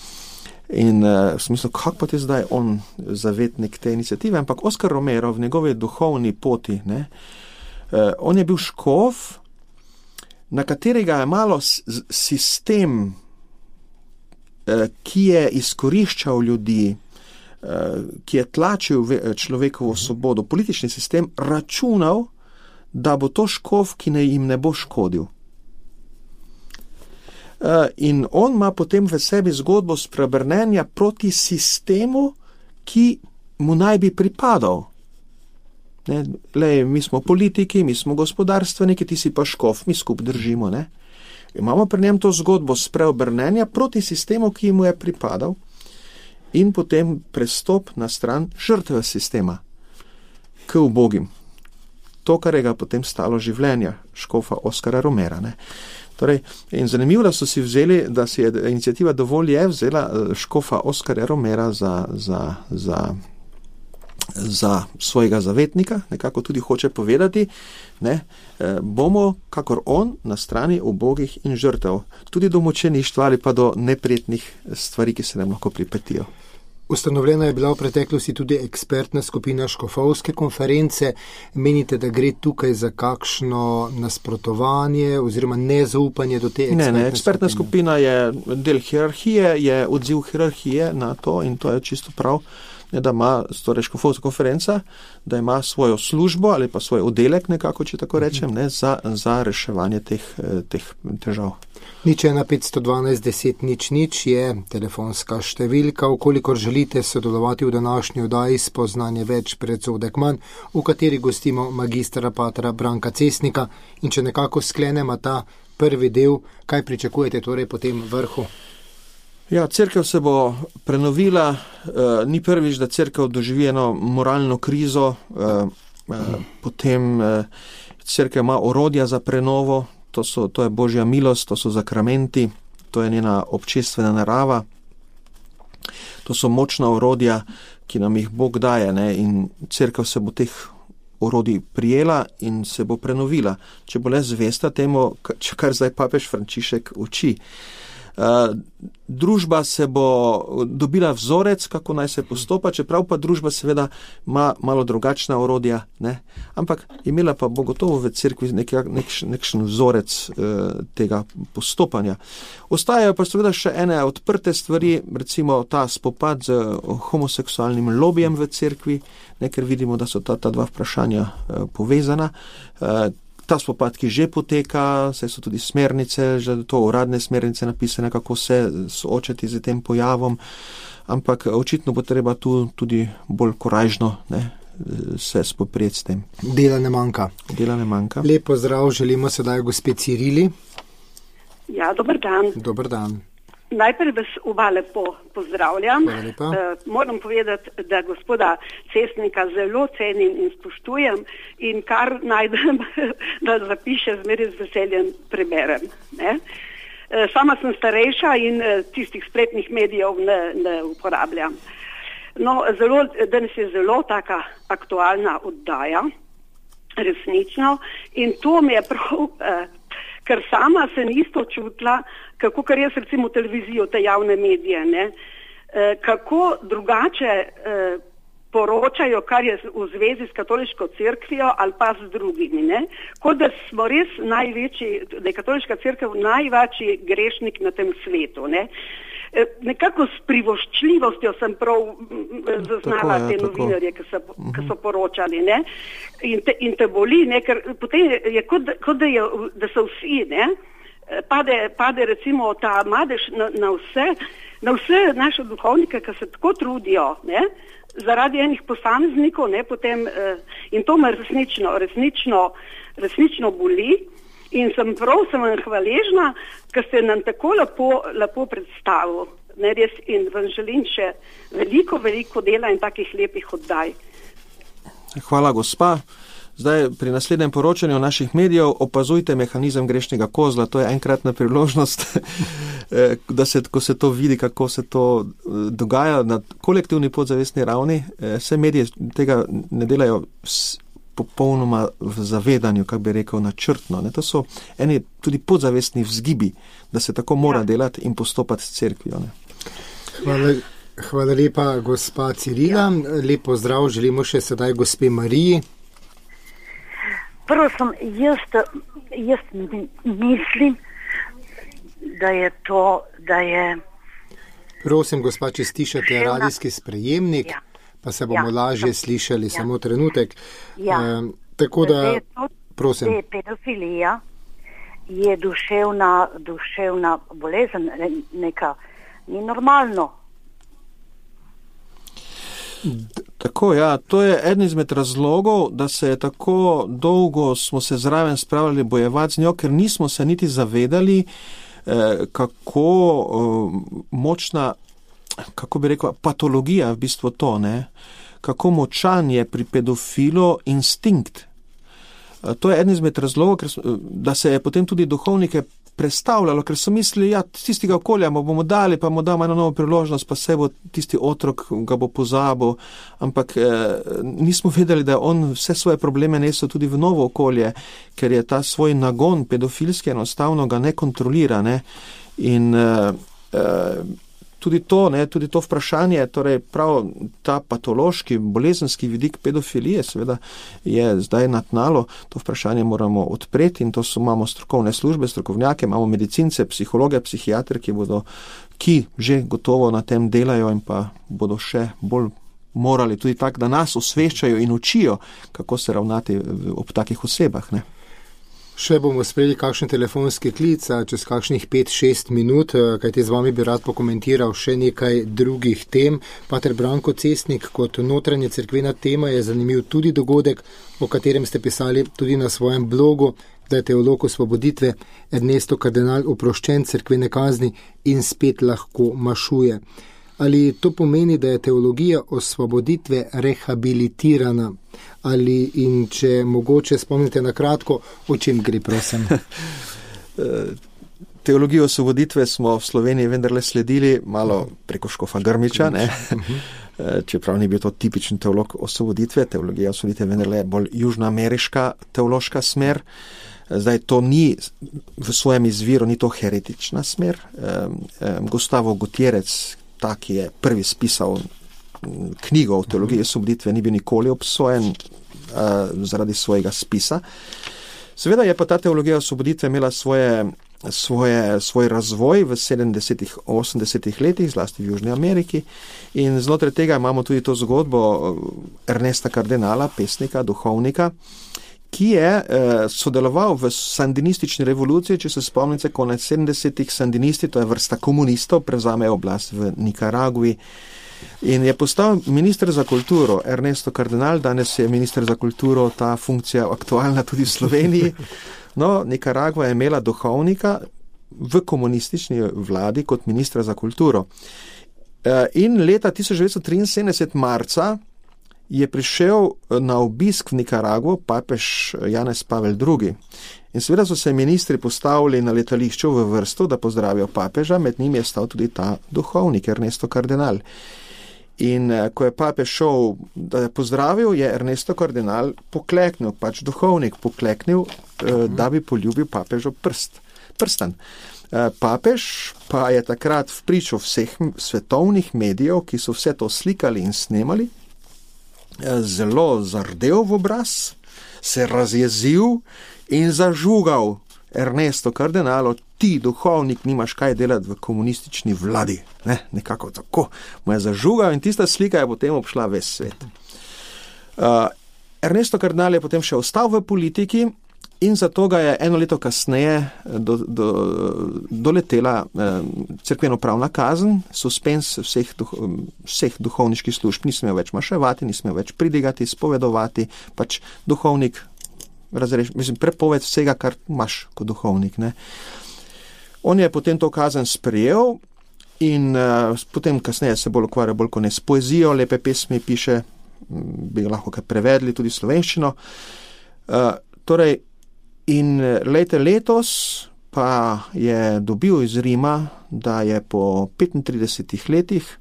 In sem mislil, kako pa je zdaj on zavetnik te inicijative, ampak Oskar Romero v njegovi duhovni poti, ne, on je bil škof, na katerega je malo sistem, ki je izkoriščal ljudi, ki je tlačil človekovo svobodo, politični sistem, računal, da bo to škof, ki jim ne bo škodil. In on ima potem v sebi zgodbo spreobrnenja proti sistemu, ki mu naj bi pripadal. Ne, lej, mi smo politiki, mi smo gospodarstveniki, ti si pa škof, mi skup držimo. Ne. Imamo pri njem to zgodbo spreobrnenja proti sistemu, ki mu je pripadal, in potem prestop na stran žrtve sistema k ubogim. To, kar je ga potem stalo življenja, škofa Oskara Romera. Ne. Torej, in zanimivo, da so si vzeli, da si je inicijativa Dovolj je vzela škofa Oskarja Romera za svojega zavetnika, nekako tudi hoče povedati, ne, bomo, kakor on, na strani ubogih in žrtev, tudi do mučeništva ali pa do neprijetnih stvari, ki se nam lahko pripetijo. Ustanovljena je bila v preteklosti tudi ekspertna skupina škofovske konference. Menite, da gre tukaj za kakšno nasprotovanje oziroma nezaupanje do te ekspertne skupine? Ne, ekspertna skupina je del hierarhije, je odziv hierarhije na to in to je čisto prav, da ima torej škofovska konferenca, da ima svojo službo ali pa svoj oddelek nekako, če tako rečem, ne, za reševanje teh težav. 01 512 10 00 je telefonska številka, ukolikor želite sodelovati v današnji oddaji Spoznanje več predsodek manj, v kateri gostimo magistra patra Branka Cestnika. In če nekako sklenemo ta prvi del, kaj pričakujete torej po tem vrhu? Ja, cerkev se bo prenovila, ni prvič, da cerkev doživi eno moralno krizo, potem cerkev ima orodja za prenovo, to je Božja milost, to so zakramenti, to je njena občestvena narava, to so močna orodja, ki nam jih Bog daje, ne? In cerkev se bo teh orodij prijela in se bo prenovila, če bo le zvesta temu, kar zdaj papež Frančišek uči. Družba se bo dobila vzorec, kako naj se postopa, čeprav pa družba seveda ima malo drugačna orodja, ne? Ampak imela pa bo gotovo v cerkvi nekšen vzorec tega postopanja. Ostajajo pa seveda še ene odprte stvari, recimo ta spopad z homoseksualnim lobijem v cerkvi, ne, ker vidimo, da so ta dva vprašanja povezana. Ta spopad, ki že poteka, saj so tudi smernice, že to uradne smernice napisane, kako se soočati z tem pojavom, ampak očitno bo treba tu tudi bolj korajžno, ne, se spoprijeti s tem. Dela ne manjka. Lep pozdrav želimo sedaj gospe Cirili. Ja, dober dan. Dober dan. Najprej vas oba lepo pozdravljam. Moram povedati, da gospoda Cestnika zelo cenim in spoštujem in kar najdem, da zapiše, zmeraj z veseljem preberem. Ne? Sama sem starejša in tistih spletnih medijev ne uporabljam. No, danes je zelo taka aktualna oddaja, resnično, in to mi je prav, ker sama sem isto čutila, kako kar jaz recimo televizijo, te javne medije, ne, kako drugače poročajo, kar je v zvezi s katoliško cerkvijo ali pa z drugimi, ne, kot da smo res največji, da je katoliška cerkev največji grešnik na tem svetu, ne. Nekako s privoščljivostjo sem prav zaznala te novinarje, ki so poročali, ne, in te boli, ne, ker potem je kot da so vsi, ne, pade recimo ta madež na vse naše duhovnike, ki se tako trudijo, ne, zaradi enih posameznikov, ne, potem, in to me resnično boli. In sem vam hvaležna, ker ste nam tako lepo predstavil. Ne, res, in vam želim še veliko dela in takih lepih oddaj. Hvala, gospa. Zdaj, pri naslednjem poročanju naših medijev opazujte mehanizem grešnega kozla. To je enkratna priložnost, ko se to vidi, kako se to dogaja na kolektivni podzavestni ravni. Vse medije tega ne delajo popolnoma v zavedanju, kako bi rekel, načrtno. Ne? To so eni tudi podzavestni vzgibi, da se tako mora delati in postopati s cerkvijo. Hvala lepa, gospa Cirila. Lep pozdrav želimo še sedaj gospe Mariji. Prosim, jaz mislim, da je to, da je... Prosim, gospa, če stišate radijski sprejemnik, pa se bomo lažje slišali, samo trenutek. Tako da, prosim. Pedofilija je duševna bolezen, neka, ni normalno. Tako, ja, to je eden izmed razlogov, da se je tako dolgo smo se zraven spravljali bojevati z njo, ker nismo se niti zavedali, kako močna, kako bi rekel, patologija v bistvu to, ne? Kako močan je pri pedofilu instinkt. To je eden izmed razlogov, da se je potem tudi duhovnike prestavljalo, ker so mislili, ja, tistega okolja bomo dali, pa mu damo eno novo priložnost, pa se bo tisti otrok ga bo pozabil, ampak nismo vedeli, da on vse svoje probleme nesel tudi v novo okolje, ker je ta svoj nagon pedofilski enostavno ga ne kontrolira, ne, in tudi to vprašanje, torej prav ta patološki, bolezenski vidik pedofilije, seveda je zdaj na tnalu, to vprašanje moramo odpreti in to imamo strokovne službe, strokovnjake, imamo medicince, psihologe, psihiatre, ki že gotovo na tem delajo in pa bodo še bolj morali tudi tako, da nas osveščajo in učijo, kako se ravnati ob takih osebah, ne. Še bomo sprejeli kakšen telefonski klic, čez kakšnih 5-6 minut, kajti z vami bi rad pokomentiral še nekaj drugih tem. Pater Branko Cestnik, kot notranje cerkvena tema je zanimiv tudi dogodek, o katerem ste pisali tudi na svojem blogu, da je teolog osvoboditve Ernesto Kardinal oproščen cerkvene kazni in spet lahko mašuje. Ali to pomeni, da je teologija osvoboditve rehabilitirana? Ali in če mogoče spomnite na kratko, o čem gre, prosim? Teologijo osvoboditve smo v Sloveniji vendarle sledili malo preko škofa Grmiča, ne? Čeprav ni bil to tipičen teolog osvoboditve, teologija osvoboditve vendarle bolj južnoameriška teološka smer. Zdaj to ni v svojem izviru, ni to heretična smer. Gustavo Gutierrez, ta, ki je prvi spisal knjigo o teologiji osvoboditve, ni bil nikoli obsojen zaradi svojega spisa. Seveda je pa ta teologija osvoboditve imela svoj razvoj v 70-ih, 80-ih letih, zlasti v Južni Ameriki, in znotraj tega imamo tudi to zgodbo Ernesta Kardinala, pesnika, duhovnika, ki je sodeloval v sandinistični revoluciji, če se spomnite, konec 70-ih sandinisti, to je vrsta komunistov, prevzamejo oblast v Nikaragvi in je postal minister za kulturo. Ernesto Kardinal, danes je minister za kulturo, ta funkcija aktualna tudi v Sloveniji. No, Nikaragva je imela duhovnika, v komunistični vladi kot ministra za kulturo. In leta 1973 marca je prišel na obisk v Nikaragvo papež Janez Pavel II. In seveda so se ministri postavili na letališču v vrsto, da pozdravijo papeža, med njimi je stal tudi ta duhovnik Ernesto Cardenal. In ko je papež šel, da je pozdravil, je Ernesto Cardenal pokleknil, pač duhovnik pokleknil, da bi poljubil papežov prstan. Papež pa je takrat v pričo vseh svetovnih medijev, ki so vse to slikali in snemali, zelo zardel v obraz, se razjezil in zažugal Ernesto Cardenalo, ti duhovnik nimaš kaj delati v komunistični vladi. Nekako tako mu je zažugal in tista slika je potem obšla ves svet. Ernesto Cardenal je potem še ostal v politiki in zato ga je eno leto kasneje doletela cerkveno-pravna kazen, suspens vseh duhovniških služb, ni smel več maševati, ni smel več pridigati, spovedovati, pač duhovnik prepoved vsega, kar imaš kot duhovnik. Ne. On je potem to kazen sprejel in potem kasneje se bolj ukvarja bolj kot ne s poezijo, lepe pesmi piše, bi lahko kaj prevedli tudi slovenščino. In letos pa je dobil iz Rima, da je po 35 letih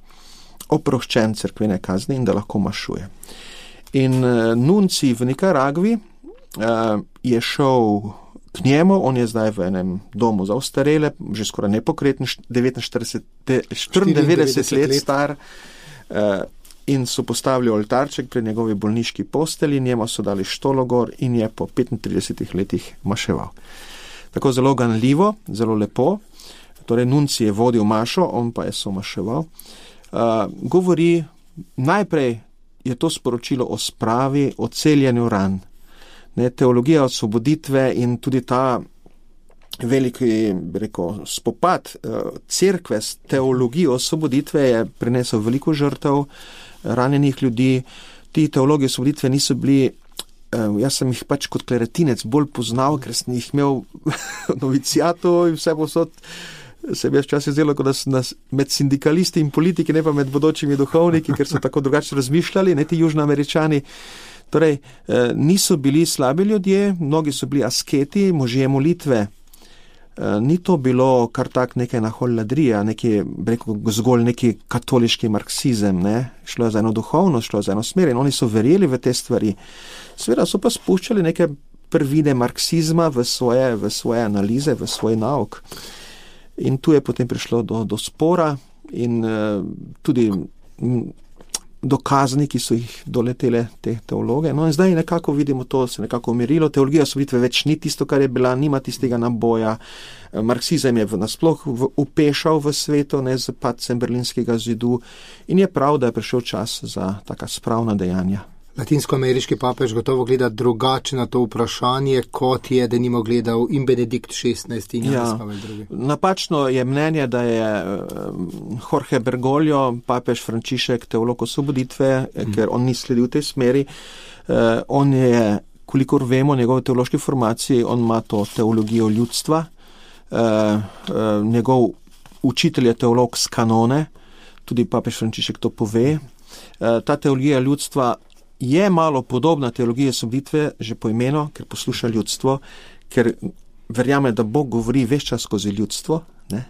oproščen cerkvene kazni in da lahko mašuje. In nunci v Nikaragvi je šel k njemu, on je zdaj v enem domu za ostarele, že skoraj nepokreten, 94 let star, in so postavili oltarček pred njegovi bolniški posteli, njemu so dali štologor in je po 35 letih maševal. Tako zelo ganljivo, zelo lepo, torej nunci je vodil mašo, on pa je somaševal. Govori, najprej je to sporočilo o spravi, o celjenju ran. Teologija osvoboditve in tudi ta veliki, spopad cerkve s teologijo osvoboditve je prinesel veliko žrtev ranjenih ljudi. Ti teologi osvoboditve niso bili, jaz sem jih pač kot kleretinec bolj poznal, ker sem jih imel novicijatu in vse posod, se bi včasih zdelo, kot da sem med sindikalisti in politiki, ne pa med bodočimi duhovniki, ker so tako drugače razmišljali, ne ti južnoameričani. Torej, niso bili slabi ljudje, mnogi so bili asketi, možje molitve. Ni to bilo kar tak nekaj naholladrija, zgolj neki katoliški marksizem, ne? Šlo je za eno duhovnost, šlo je za eno smer in oni so verjeli v te stvari. Seveda so pa spuščali neke prvine marksizma v svoje analize, v svoj nauk. In tu je potem prišlo do spora in tudi do kazni, ki so jih doletele te teologe. No in zdaj nekako vidimo to, se nekako umirilo. Teologija osvoboditve več ni tisto, kar je bila, nima tistega naboja. Marksizem je nasploh upešal v svetu, ne z padcem Berlinskega zidu in je prav, da je prišel čas za taka spravna dejanja. Latinskoameriški papež gotovo gleda drugače na to vprašanje, kot je denimo gledal in Benedikt XVI in Janez Pavel II. Napačno je mnenje, da je Jorge Bergoglio, papež Frančišek, teolog osvoboditve, ker on ni sledil tej smeri. On je, kolikor vemo, njegove teološke formaciji, on ima to teologijo ljudstva. Njegov učitelj je teolog z kanone, tudi papež Frančišek to pove. Ta teologija ljudstva je malo podobna teologiji osvoboditve, že po imenu, ker posluša ljudstvo, ker verjame, da Bog govori ves čas skozi ljudstvo, ne?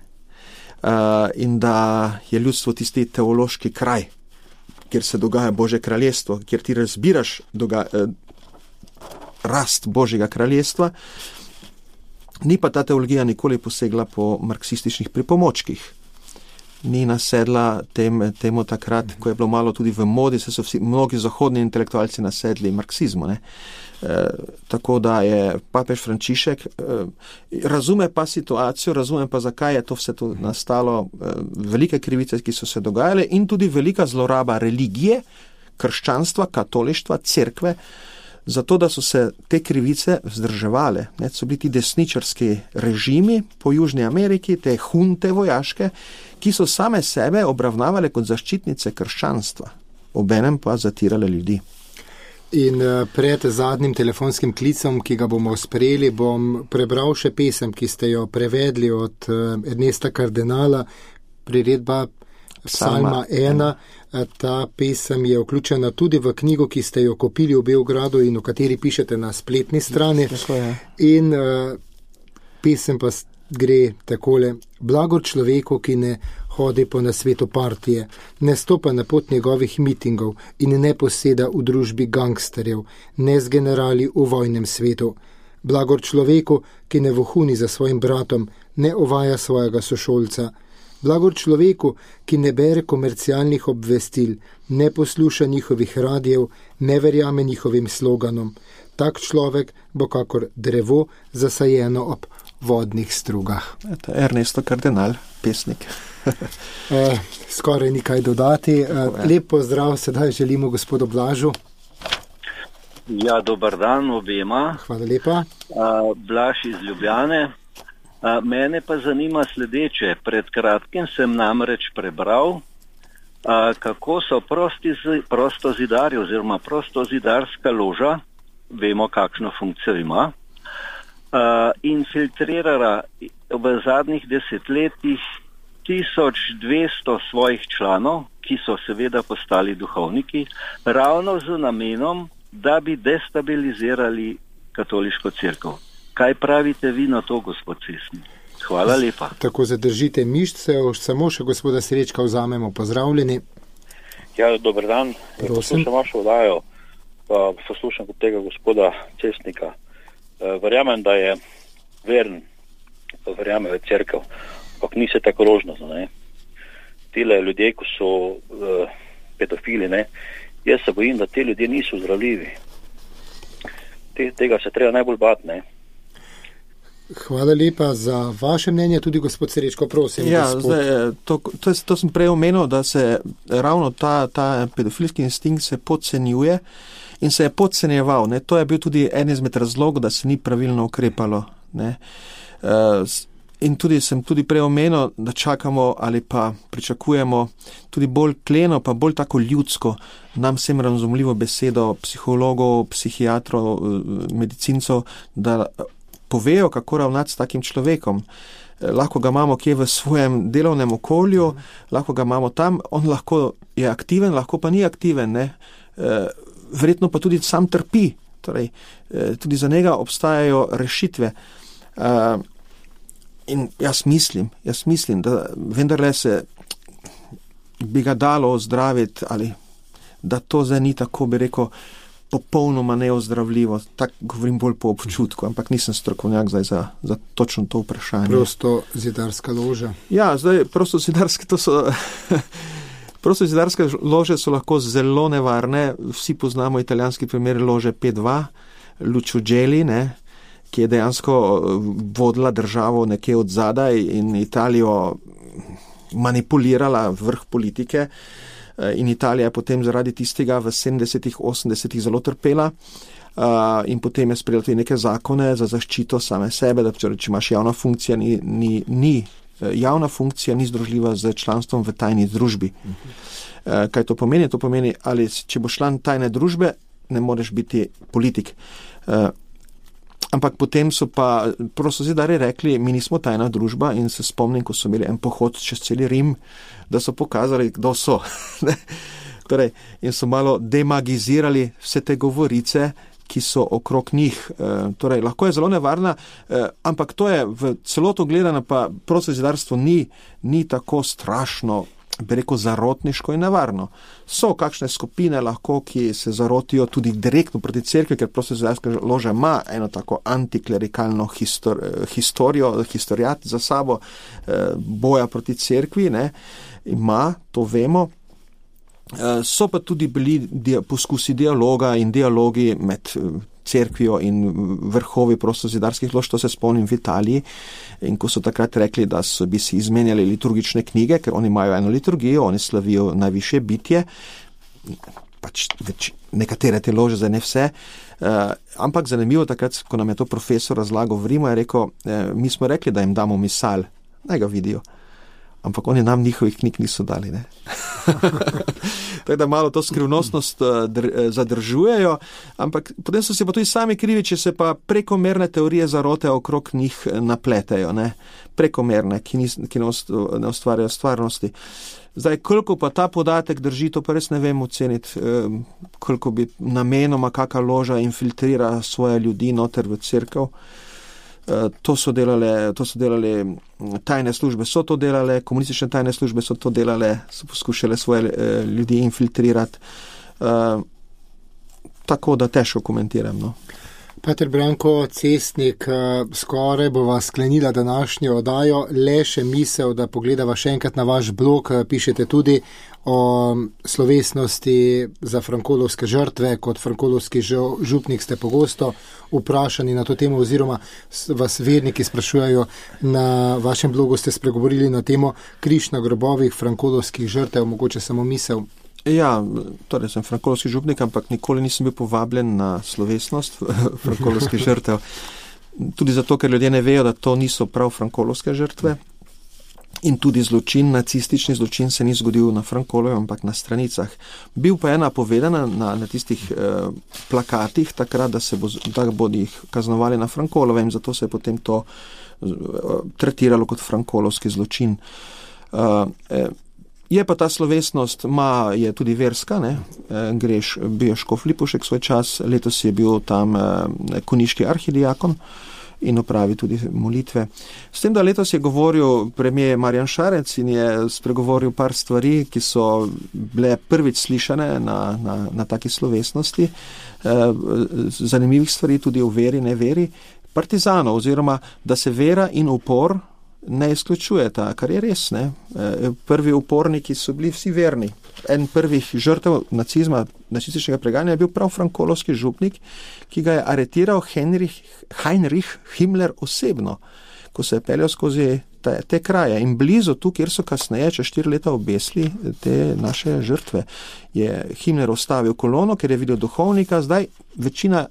In da je ljudstvo tisti teološki kraj, kjer se dogaja Božje kraljestvo, kjer ti razbiraš rast Božjega kraljestva. Ni pa ta teologija nikoli posegla po marksističnih pripomočkih. Ni nasedla temu takrat, ko je bilo malo tudi v modi, se so mnogi zahodni intelektualci nasedli marksizmu. Ne? Tako da je papež Frančišek razume pa situacijo, razume pa, zakaj je to vse to nastalo, velike krivice, ki so se dogajale in tudi velika zloraba religije, krščanstva, katolištva, cerkve, zato da so se te krivice vzdrževale. Ne? So bili ti desničarski režimi po Južni Ameriki, te hunte vojaške, ki so same sebe obravnavale kot zaščitnice krščanstva, obenem pa zatirale ljudi. In pred zadnjim telefonskim klicom, ki ga bomo sprejeli, bom prebral še pesem, ki ste jo prevedli od Ernesta Kardenala, priredba Psalma 1. Ta pesem je vključena tudi v knjigo, ki ste jo kupili v Beogradu in o kateri pišete na spletni strani. In pesem pa gre takole: blagor človeku, ki ne hodi po nasvetu partije, ne stopa na pot njegovih mitingov in ne poseda v družbi gangsterjev, ne z generali v vojnem svetu. Blagor človeku, ki ne vohuni za svojim bratom, ne ovaja svojega sošolca. Blagor človeku, ki ne bere komercialnih obvestil, ne posluša njihovih radijev, ne verjame njihovim sloganom. Tak človek bo kakor drevo zasajeno ob vodnih strugah. To je Ernesto Kardenal, pesnik. Skoraj nikaj dodati. Lep pozdrav sedaj želimo gospodu Blažu. Ja, dober dan obema. Hvala lepa. Blaž iz Ljubljane. Mene pa zanima sledeče. Pred kratkim sem namreč prebral, kako so prostozidarji oziroma prostozidarska loža, vemo kakšno funkcijo ima, infiltrirala v zadnjih desetletjih 1200 svojih članov, ki so seveda postali duhovniki, ravno z namenom, da bi destabilizirali katoliško cerkev. Kaj pravite vi na to, gospod Cesnik? Hvala lepa. Tako zadržite mišice, samo še gospoda Srečka vzamemo. Pozdravljeni. Ja, dober dan. Poslušam vašo oddajo, pa poslušam kot tega gospoda Cesnika. Verjamem, da je veren, verjame v cerkev, ampak ni se tako rožnato, ne. Tile ljudje, ko so pedofili, ne, jaz se bojim, da te ljudje niso zdravljivi. Tega se treba najbolj bati, ne. Hvala lepa za vaše mnenje, tudi gospod Srečko, prosim. Ja, zdaj, to sem prej omenil, da se ravno ta pedofilski instinkt se podcenjuje in se je podcenjeval. Ne. To je bil tudi en izmed razlogov, da se ni pravilno ukrepalo. Ne. In sem tudi prej omenil, da čakamo ali pa pričakujemo tudi bolj kleno, pa bolj tako ljudsko, nam vsem razumljivo besedo psihologov, psihiatrov, medicincov, da povejo, kako ravnati s takim človekom. Lahko ga imamo kje v svojem delovnem okolju, lahko ga imamo tam, on lahko je aktiven, lahko pa ni aktiven, ne. Verjetno pa tudi sam trpi, torej tudi za njega obstajajo rešitve. In jaz mislim, da vendarle se bi ga dalo ozdraviti, ali da to zdaj ni tako, bi rekel, popolnoma neozdravljivo. Tak govorim bolj po občutku, ampak nisem strokovnjak zdaj za točno to vprašanje. Prostozidarska loža. Ja, zdaj prostozidarske lože so lahko zelo nevarne. Vsi poznamo italijanski primer lože P2, Lucio Gelli, ne, ki je dejansko vodila državo nekje od zadaj in Italijo manipulirala vrh politike. In Italija je potem zaradi tistega v 70-ih, 80-ih zelo trpela in potem je sprejela tudi neke zakone za zaščito same sebe, da če imaš javna funkcija, javna funkcija ni združljiva z članstvom v tajni družbi. Kaj to pomeni? To pomeni, ali če boš član tajne družbe, ne moreš biti politik. Ampak potem so pa prostozidarji rekli, mi nismo tajna družba, in se spomnim, ko so imeli en pohod čez celi Rim, da so pokazali, kdo so. Torej, in so malo demagizirali vse te govorice, ki so okrog njih. Torej, lahko je zelo nevarna, ampak to je v celoto gledano, pa prostozidarstvo ni tako strašno, bi rekel, zarotniško in nevarno. So kakšne skupine lahko, ki se zarotijo tudi direktno proti cerkvi, ker prostozidarska loža ima eno tako antiklerikalno historijat za sabo, boja proti cerkvi, ne, ima, to vemo. So pa tudi bili poskusi dialoga in dialogi med cerkvijo in vrhovi prostozidarskih lož, to se spomnim v Italiji, in ko so takrat rekli, da bi si izmenjali liturgične knjige, ker oni imajo eno liturgijo, oni slavijo najvišje bitje, pač nekatere te lože, zdaj ne vse, ampak zanimivo takrat, ko nam je to profesor razlagal v Rimu, je rekel, mi smo rekli, da jim damo misal, naj ga vidijo, ampak oni nam njihovih knjig niso dali, ne. Tako da malo to skrivnostnost zadržujejo, ampak potem so se pa tudi sami krivi, če se pa prekomerne teorije zarote okrog njih napletejo, ne? Prekomerne, ki ne ustvarjajo stvarnosti. Zdaj, koliko pa ta podatek drži, to pa res ne vem oceniti, koliko bi namenoma kakšna loža infiltrira svoje ljudi noter v cerkev. To so delale tajne službe, so to delale, komunistične tajne službe so to delale, so poskušale svoje ljudi infiltrirati. Tako da težko komentiram, no. Pater Branko Cestnik, skoraj bova sklenila današnjo oddajo, le še misel, da pogledava še enkrat na vaš blog, pišete tudi o slovesnosti za frankolovske žrtve, kot frankolovski župnik ste pogosto vprašani na to temo, oziroma vas verniki sprašujejo, na vašem blogu ste spregovorili na temo križ na grobovih frankolovskih žrtev, mogoče samo misel. Ja, torej sem frankolovski župnik, ampak nikoli nisem bil povabljen na slovesnost frankolovskih žrtev. Tudi zato, ker ljudje ne vejo, da to niso prav frankolovske žrtve. In tudi zločin, nacistični zločin se ni zgodil na Frankolovem, ampak na stranicah. Bil pa ena povedana na tistih plakatih takrat, da bodo jih kaznovali na Frankolovem, zato se je potem to tretiralo kot frankolovski zločin. Je pa ta slovesnost, je tudi verska, ne? Bil je škof Lipušek svoj čas, letos je bil tam koniški arhidiakon in opravi tudi molitve. S tem, da letos je govoril premier Marjan Šarec in je spregovoril par stvari, ki so bile prvič slišane na taki slovesnosti, zanimivih stvari tudi o veri, ne veri, partizanov, oziroma da se vera in upor ne izključujeta, kar je res, ne. Prvi uporniki so bili vsi verni. En prvih žrtev nacizma, nacističnega preganja je bil prav frankolovski župnik, ki ga je aretiral Heinrich Himmler osebno, ko se je peljal skozi te kraje. In blizu tu, kjer so kasneje, čez 4 leta obesili te naše žrtve, je Himmler ostavil kolono, ker je videl duhovnika. Zdaj večina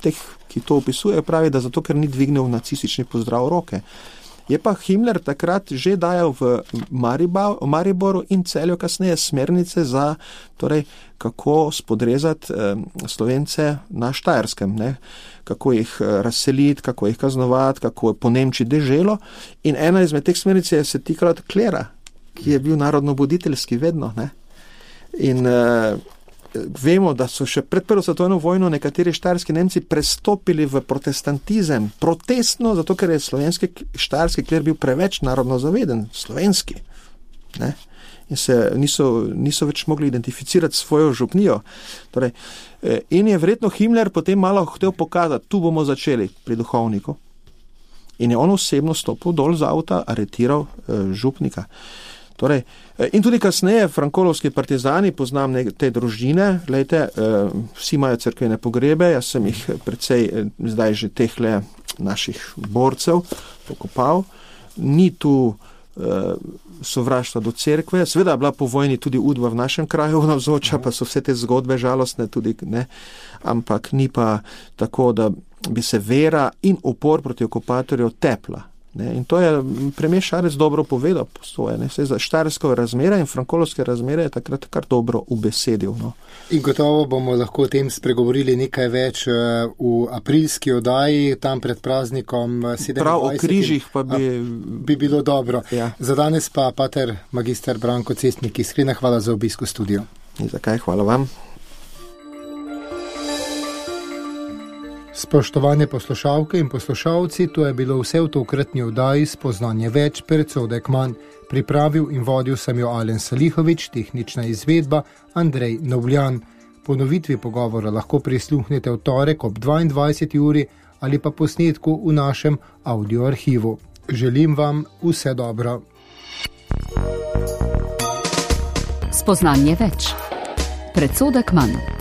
teh, ki to opisuje, pravi, da zato, ker ni dvignil nacistični pozdrav roke. Je pa Himmler takrat že dajal v Mariboru in Celju kasneje smernice za, torej, kako spodrezati Slovence na Štajerskem, ne? Kako jih razseliti, kako jih kaznovati, kako po Nemčiji deželo. In ena izmed teh smernic je se tikala klera, ki je bil narodnobuditeljski vedno, ne? In vemo, da so še pred Prvo svetovno vojno nekateri štajerski Nemci prestopili v protestantizem, protestno, zato ker je slovenski štajerski kler bil preveč narodno zaveden, slovenski, ne? In se niso več mogli identificirati svojo župnijo. Torej, in je verjetno Himmler potem malo hotel pokazati, tu bomo začeli pri duhovniku. In je on osebno stopil dol z avta, aretiral župnika. Torej, in tudi kasneje frankolovski partizani, poznam te družine, glejte, vsi imajo cerkvene pogrebe, jaz sem jih precej zdaj že tehle naših borcev pokopal. Ni tu sovraštva do cerkve, seveda je bila po vojni tudi Udba v našem kraju navzoča, pa so vse te zgodbe žalostne tudi, ne, ampak ni pa tako, da bi se vera in upor proti okupatorju tepla. Ne, in to je premier Šarec dobro povedal po svoje. Vse za štajerske razmere in frankolovske razmere je takrat kar dobro ubesedil. No. In gotovo bomo lahko o tem spregovorili nekaj več v aprilski oddaji, tam pred praznikom 27. Prav o križih pa bi bilo dobro. Ja. Za danes pa pater magister Branko Cestnik, iskrena hvala za obisk v studiu. In zakaj, hvala vam. Spoštovane poslušalke in poslušalci, to je bilo vse v tokratni oddaji Spoznanje več, predsodek manj. Pripravil in vodil sem jo Alen Salihovič, tehnična izvedba Andrej Novljan. Ponovitvi pogovora lahko prisluhnete v torek ob 22. uri ali pa posnetku v našem audio arhivu. Želim vam vse dobro. Spoznanje več, predsodek manj.